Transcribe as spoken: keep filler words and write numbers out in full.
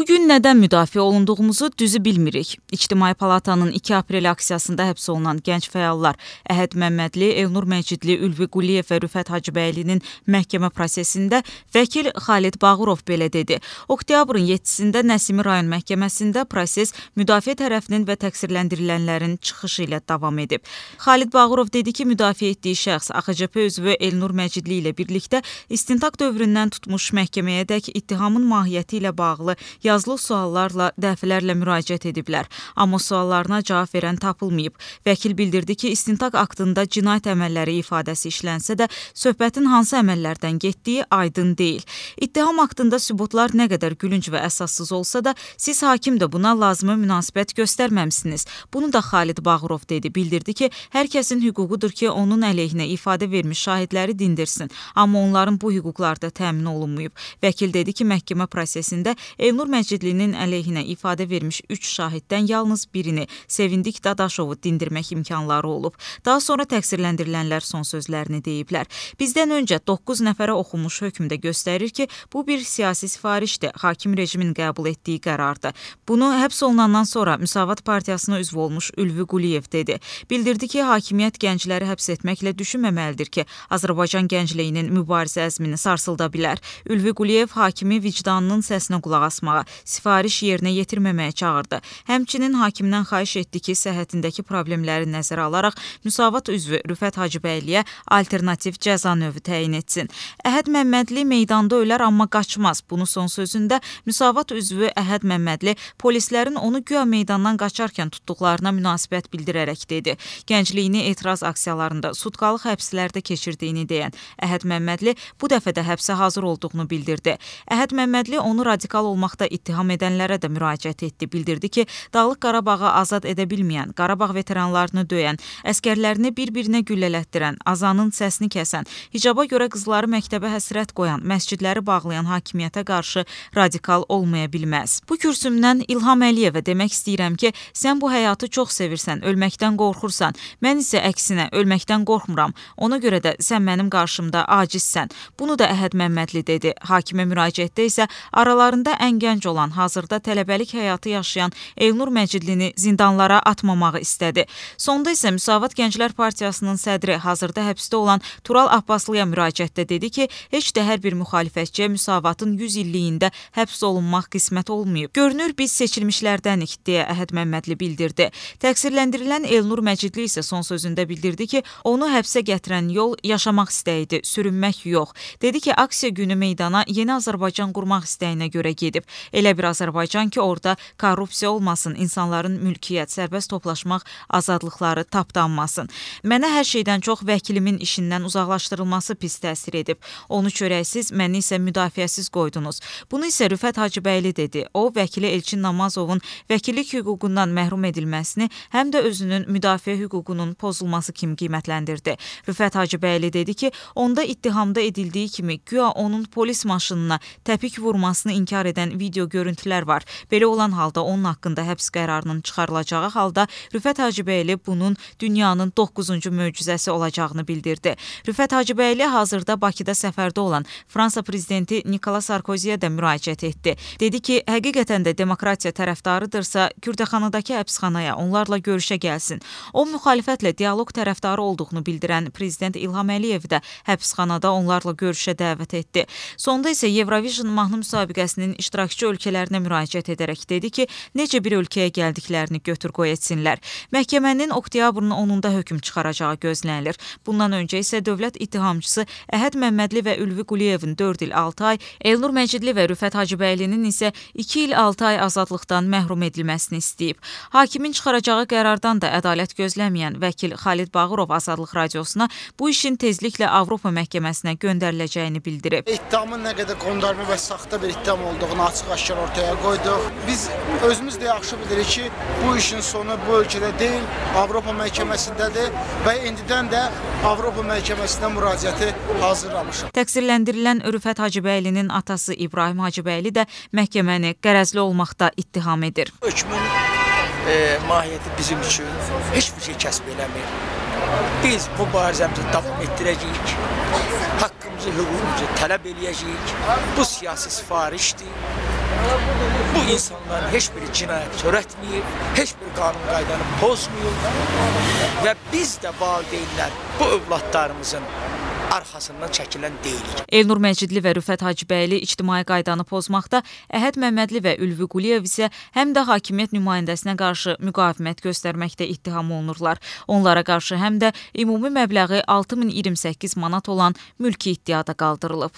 Bugün nədən müdafiə olunduğumuzu düzü bilmirik. İctimai Palatanın iki aprel aksiyasında həbs olunan gənc fəallar Əhəd Məmmədli, Elnur Məcidli, Ülvi Quliyev və Rüfət Hacıbəylinin məhkəmə prosesində vəkil Xalid Bağırov belə dedi. Oktyabrın yeddisində Nəsimi rayon məhkəməsində proses müdafiə tərəfinin və təqsirləndirilənlərin çıxışı ilə davam edib. Xalid Bağırov dedi ki, müdafiə etdiyi şəxs A X C P üzvü Elnur Məcidli ilə birlikdə istintaq dövründən tutmuş məhkəməyədək ittihamın mahiyyəti ilə bağlı yazılı suallarla dəfələrlə müraciət ediblər, amma suallarına cavab verən tapılmayıb. Vəkil bildirdi ki, istintaq aktında cinayət əməlləri ifadəsi işlənsə də, söhbətin hansı əməllərdən getdiyi aydın deyil. İttiham aktında sübutlar nə qədər gülünc və əsassız olsa da, siz hakim də buna lazımi münasibət göstərməmsiniz. Bunu da Xalid Bağırov dedi. Bildirdi ki, hər kəsin hüququdur ki, onun əleyhinə ifadə vermiş şahidləri dindirsin, amma onların bu hüquqları da təmin olunmayıb. Vəkil dedi ki, məhkəmə prosesində Elnur Məcidlinin əleyhinə ifadə vermiş üç şahiddən yalnız birini, Sevindik Dadaşovu dindirmək imkanları olub. Daha sonra təqsirləndirilənlər son sözlərini deyiblər. Bizdən öncə doqquz nəfərə oxunmuş hökmdə göstərir ki, bu bir siyasi sifarişdir, hakim rejimin qəbul etdiyi qərardır. Bunu həbs olunandan sonra Müsavat Partiyasına üzv olmuş Ülvi Quliyev dedi. Bildirdi ki, hakimiyyət gəncləri həbs etməklə düşünməməlidir ki, Azərbaycan gəncliyinin mübarizə əzmini sarsılda bilər. Ülvi Quliyev hakimi vicdanının səsinə qulaq asmağa, sifariş yerinə yetirməməyə çağırdı. Həmçinin hakimdən xahiş etdi ki, səhhətindəki problemləri nəzərə alaraq Müsavat üzvü Rüfət Hacıbəyliyə alternativ cəza növü təyin etsin. Əhəd Məmmədli meydanda ölər, amma qaçmaz. Bunu son sözündə Müsavat üzvü Əhəd Məmmədli polislərin onu güya meydandan qaçarkən tutduqlarına münasibət bildirərək dedi. Gəncliyini etiraz aksiyalarında sutkalıq həbslərdə keçirdiyini deyən Əhəd Məmmədli bu dəfə də həbsə hazır olduğunu bildirdi. Əhəd Məmmədli onu radikal olmaqda ittiham edənlərə də müraciət etdi. Bildirdi ki, Dağlıq Qarabağı azad edə bilməyən, Qarabağ veteranlarını döyən, əskərlərini bir-birinə güllələtdirən, azanın səsini kəsən, hicaba görə qızları məktəbə həsrət qoyan, məscidləri bağlayan hakimiyyətə qarşı radikal olmaya bilməz. Bu kürsümdən İlham Əliyevə demək istəyirəm ki, sən bu həyatı çox sevirsən, ölməkdən qorxursan. Mən isə əksinə ölməkdən qorxmuram. Ona görə də sən mənim qarşımda acizsən. Bunu da Əhəd Məmmədli dedi. Hakimə müraciətdə isə aralarında ən gənc olan, hazırda tələbəlik həyatı yaşayan Elnur Məcidlini zindanlara atmamağı istədi. Sonda isə Müsavat Gənclər Partiyasının sədri, hazırda həbsdə olan Tural Abbaslıya müraciətdə dedi ki, heç də hər bir müxalifətçiyə Müsavatın yüz illiyində həbs olunmaq qismət olmayıb. Görünür, biz seçilmişlərdənik, deyə Əhəd Məmmədli bildirdi. Təqsirləndirilən Elnur Məcidli isə son sözündə bildirdi ki, onu həbsə gətirən yol yaşamaq istəyidir, sürünmək yox. Dedi ki, aksiya günü meydana yeni Azərbaycan qurmaq istəyinə görə gedib. Elə bir Azərbaycan ki, orada korrupsiya olmasın, insanların mülkiyyət, sərbəst toplaşmaq azadlıqları tapdanmasın. Mənə hər şeydən çox vəkilimin işindən uzaqlaşdırılması pis təsir edib. Onu çörəksiz, məni isə müdafiəsiz qoydunuz. Bunu isə Rüfət Hacıbəyli dedi. O, vəkili Elçin Namazovun vəkillik hüququndan məhrum edilməsini, həm də özünün müdafiə hüququnun pozulması kimi qiymətləndirdi. Rüfət Hacıbəyli dedi ki, onda ittihamda edildiyi kimi güya onun polis maşınına təpik vurmasını inkar edən video görüntülər var. Belə olan halda onun haqqında həbs qərarının çıxarılacağı halda Rüfət Hacıbəyli bunun dünyanın doqquzuncu möcüzəsi olacağını bildirdi. Rüfət Hacıbəyli hazırda Bakıda səfərdə olan Fransa prezidenti Nikola Sarkoziyə də müraciət etdi. Dedi ki, həqiqətən də demokratiya tərəfdarıdırsa, Kürdəxanadakı həbsxanaya onlarla görüşə gəlsin. O, müxalifətlə dialoq tərəfdarı olduğunu bildirən prezident İlham Əliyev də həbsxanada onlarla görüşə dəvət etdi. Sonda isə Eurovision mahnı müsabiqəsinin iştirakçı ölkələrinə müraciət edərək dedi ki, necə bir ölkəyə gəldiklərini götür-qoy etsinlər. Məhkəmənin oktyabrın onunda hökm çıxaracağı gözlənilir. Bundan öncə isə dövlət ittihamçısı Əhəd Məmmədli və Ülvi Quliyevin dörd il altı ay, Elnur Məcidli və Rüfət Hacıbəylinin isə iki il altı ay azadlıqdan məhrum edilməsini istəyib. Hakimin çıxaracağı qərardan da ədalət gözləməyən vəkil Xalid Bağırov Azadlıq Radiosuna bu işin tezliklə Avropa məhkəməsinə göndəriləcəyini bildirib. İttihamın nə qədər qondarma və saxta bir ittiham olduğunu açıq-aşkar ortaya qoyduq. Biz özümüz də yaxşı bilirik ki, bu işin sonu bu ölkədə deyil, Avropa məhkəməsindədir və indidən də Avropa məhkəməsinə müraciəti hazırlamışıq. Təqsirləndirilən Rüfət Hacıbəylinin atası İbrahim Hacıbəyli də məhkəməni qərəzli olmaqda ittiham edir. Hökmün e, mahiyyəti bizim üçün heç bir şey kəsb eləmir. Biz bu mübarizəmizi davam etdirəcəyik, haqqımızı, hüququmuzu tələb eləyəcəyik. Bu siyasi sifarişdir. Bu insanların heç biri cinayət törətməyib, heç bir qanun qaydanı pozmayıb və biz də valideynlər bu övladlarımızın arxasından çəkilən deyilik. Elnur Məcidli və Rüfət Hacıbəyli ictimai qaydanı pozmaqda, Əhəd Məmmədli və Ülvi Quliyev isə həm də hakimiyyət nümayəndəsinə qarşı müqavimət göstərməkdə ittiham olunurlar. Onlara qarşı həm də ümumi məbləği altı min iyirmi səkkiz manat olan mülki iddiada qaldırılıb.